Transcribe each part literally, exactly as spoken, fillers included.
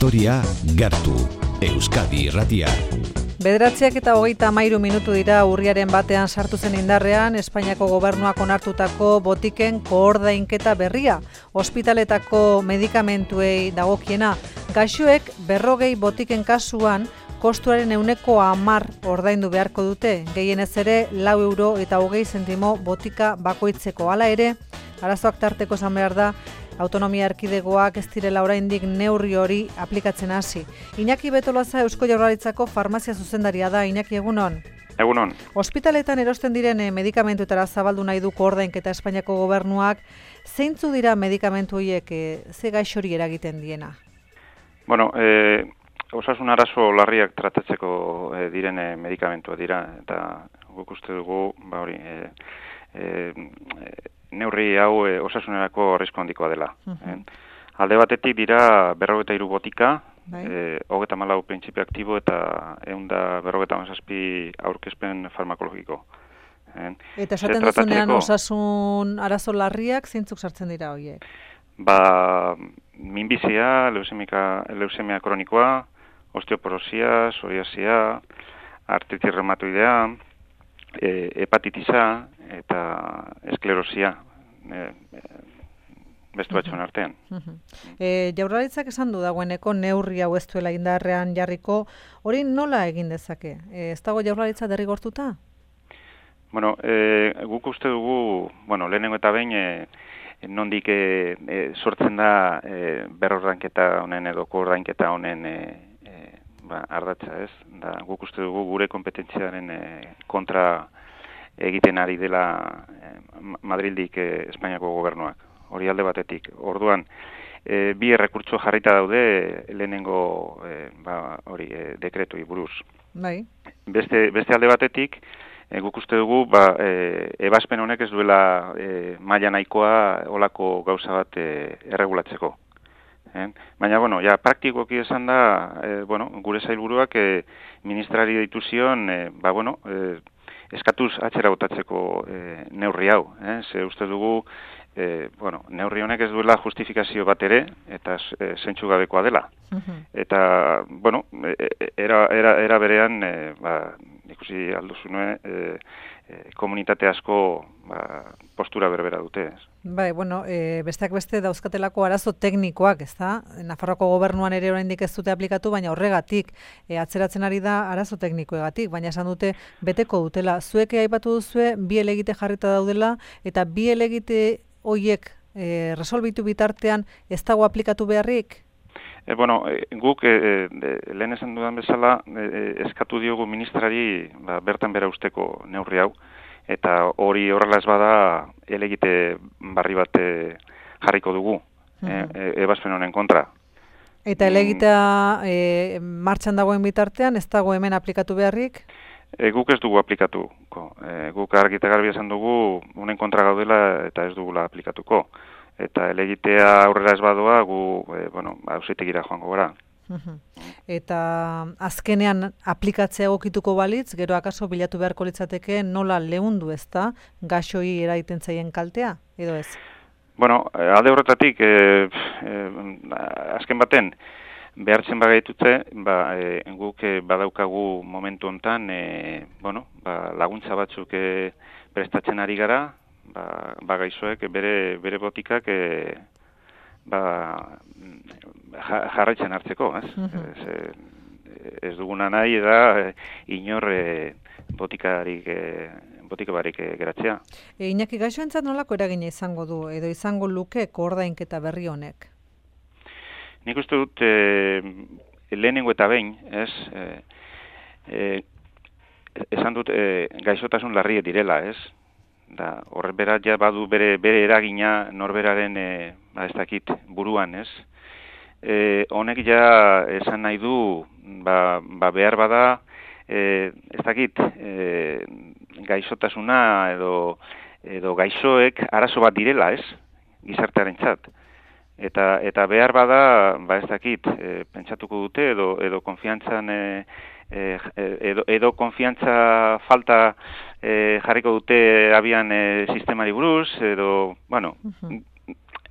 Historia gertu, Euskadi Irratia. Bederatziak eta hogeita hamairu minutu dira urriaren batean sartu zen indarrean Espainiako gobernuak onartutako botiken koordainketa berria. Ospitaletako medikamentuei dagokiena, gaixoek berrogei botiken kasuan kostuaren ehuneko hamar ordaindu beharko dute, gehienez ere lau euro eta hogei zentimo botika bakoitzeko. Hala ere, arazoak tarteko esan behar da, autonomia erkidegoak ez direla oraindik neurri hori aplikatzen hasi. Iñaki Betolaza Eusko Jaurlaritzako farmazia zuzendaria da. Iñaki, egunon. Egunon. Ospitaletan erosten diren medikamentuetara zabaldu nahi du koordainketa Espainiako gobernuak. Zeintzu dira medikamentu horiek, ze gaixori eragiten diena? Bueno, eh, osasun arazo larriak tratatzeko eh, diren eh, medikamentua dira, eta guk uste dugu, ba hori, eh, eh, neurri hau e, osasunerako arrisku handikoa dela. Uh-huh. eh? Alde batetik dira berrogeita hiru botika, bai. e, hogeita hamalau printzipio aktibo eta ehun eta berrogeita hamazazpi aurkezpen farmakologiko. Eh? Eta esaten duzunean osasun arazo larriak zeintzuk sartzen dira horiek? Ba, minbizia, leusemika, leusemia kronikoa, osteoporosia, psoriasia, artritis reumatoidea, E, hepatitisa eta esklerosia e, e, beste batzuen artean. Uh-huh. e, Jaurlaritzak esan du dagoeneko neurri hau ez duela indarrean jarriko, hori nola egin dezake? E, ez dago Jaurlaritza derrigortuta? Bueno, e, guk uste dugu, bueno, lehenengo eta behin e, nondik e, e, sortzen da e, berrordainketa honen edo koordainketa honen e, Ba, ardatza ez, da, guk uste dugu gure kompetentziaren e, kontra egiten ari dela e, Madrildik e, Espainiako gobernuak, hori alde batetik. Orduan, e, bi errekurtso jarrita daude lehenengo e, ba, hori e, dekretui buruz. Bai. Beste, beste alde batetik, e, guk uste dugu ba, e, ebazpen honek ez duela e, maila nahikoa olako gauza bat e, erregulatzeko. Eh? Baina, bueno, ja, praktikoki esan da, eh, bueno, gure sailburuak eh, ministrari deitu zion, eh, ba, bueno, eh, eskatuz atzera botatzeko eh, neurri hau. Eh? Ze uste dugu, eh, bueno, neurri honek ez duela justifikazio bat ere, eta eh, zentsu gabekoa dela. Uh-huh. Eta, bueno, era, era, era berean, eh, ba, ikusi alduzune, eh, eh, komunitate asko ba, postura berbera dute. Ez. Bai, bueno, e, besteak beste dauzkatelako arazo teknikoak, ez da? Nafarroako gobernuan ere oraindik ez dute aplikatu, baina horregatik e, atzeratzen ari da arazo teknikoegatik, baina esan dute beteko dutela. Zuek aipatu duzue bi helegite jarrita daudela, eta bi helegite horiek e, resolbitu bitartean ez dago aplikatu beharrik? E, bueno, e, guk e, e, lehen esan dudan bezala e, eskatu diogu ministrari ba, bertan bera usteko neurri hau, eta hori horrela ez bada helegite barri bat e, jarriko dugu, uh-huh. e, ebazpen honen kontra. Eta helegitea e, martxan dagoen bitartean, ez dago hemen aplikatu beharrik? E, guk ez dugu aplikatuko. E, guk argi eta garbi esan dugu, honen kontra gaudela eta ez dugula aplikatuko. Eta helegitea aurrera ez badoa, gu, e, bueno, auzitegira joango gara. Uh-huh. Eta azkenean aplikatzea egokituko balitz, gero akaso bilatu beharko litzateke nola leundu ez da, gaixoi eraiten zaien kaltea, edo ez? Bueno, alde horretatik, e, e, azken baten, behartzen bagaitutze, ba, e, guk e, badaukagu momentu hontan, e, bueno, ba, laguntza batzuk e, prestatzen ari gara, ba, ba gaixoek bere, bere botikak e, ba, jarraitzen hartzeko, ez? Uh-huh. ez, ez duguna nahi da inor e, botikarik, e, botika barik e, geratzea. E, Iñaki, gaixoentzat nolako eragina izango du, edo izango luke koordainketa berri honek? Nik uste dut e, lehenengo eta behin, ez? E, e, esan dut e, gaixotasun larriek direla, ez? Da, horre berat ja badu bere, bere eragina norberaren e, ba, ez dakit buruan, ez? E, honek ja esan nahi du, ba, ba behar bada, e, ez dakit, e, gaixotasuna edo, edo gaixoek arazo bat direla, ez? Gizartearen txat. Eta, eta behar bada, ba ez dakit, e, pentsatuko dute edo, edo konfiantzan e, Eh, edo, edo konfiantza falta eh, jarriko dute abian eh, sistemari buruz, edo, bueno, uh-huh.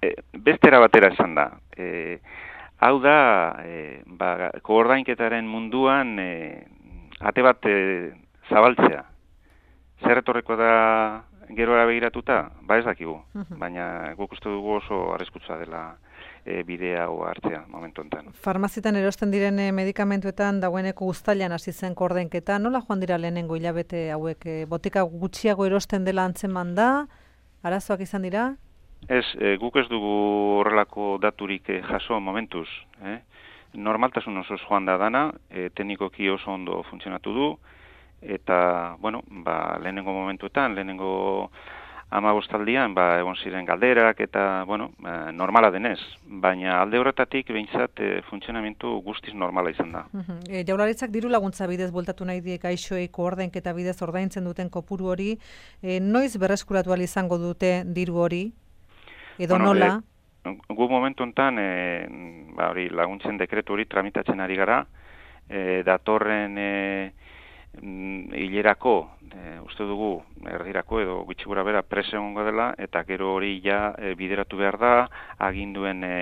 eh, bestera batera esan da. Eh, hau da, e, ba, koordainketaren munduan e, ate bat e, zabaltzea. Zer etorreko da gerora begiratuta? Ba ez dakigu, baina guk uste dugu oso arriskutsua dela e, bidea hau hartzea momentu enten. Farmazitan erosten diren e, medikamentuetan dagoeneko uztailan hasi zen koordainketa, nola joan dira lehenengo hilabete hauek? E, botika gutxiago erosten dela antzeman da, arazoak izan dira? Ez, e, guk ez dugu horrelako daturik e, jaso momentuz. Eh? Normaltasun osoz joan da dana, e, teknikoki oso ondo funtzionatu du, eta, bueno, ba, lehenengo momentuetan, lehenengo hamabostaldian, ba, egon ziren galderak, eta, bueno, ba, normala denez. Baina alde horretatik behintzat e, funtzionamentu guztiz normala izan da. Uh-huh. E, Jaurlaritzak diru laguntza bidez bueltatu nahi die gaixoei koordainketa bidez ordaintzen duten kopuru hori, e, noiz berreskuratu ahal izango dute diru hori? Edo bueno, nola? E, gu momentu enten, e, ba, hori, laguntzen dekretu hori tramitatzen ari gara, e, datorren e, hilerako, e, uste dugu, erdirako edo gutxi gura bera prese egongo dela, eta gero hori ja e, bideratu behar da, aginduen e,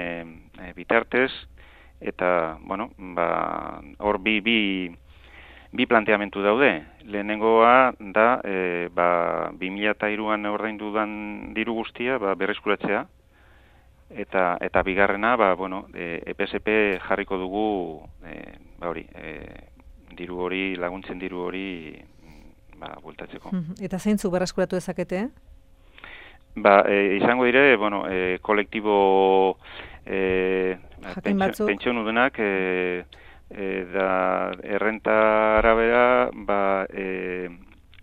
e, bitartez, eta, bueno, ba, hor bi, bi, bi planteamentu daude. Lehenengoa da, e, ba, bi mila hiruan ordaindu dan diru guztia, ba, berreskuratzea, eta, eta bigarrena, ba, bueno, e, E P S P jarriko dugu, e, ba, hori, e, diru hori, laguntzen diru hori, ba, bueltatzeko. Eta zeintzu berreskuratu dezakete? Ba, e, izango dire, bueno, e, kolektibo e, pentsionudenak, e, e, da errenta arabera, ba, e,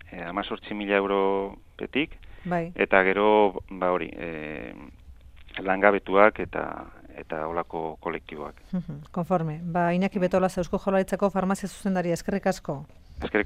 e, amazortzi mila euro petik, bai. Eta gero, ba, hori, e, langabetuak eta eta olako kolektiboak. Konforme. Ba, Iñaki Betolaza, Eusko Jaurlaritzako farmazia zuzendaria, eskerrik asko. Eskerrik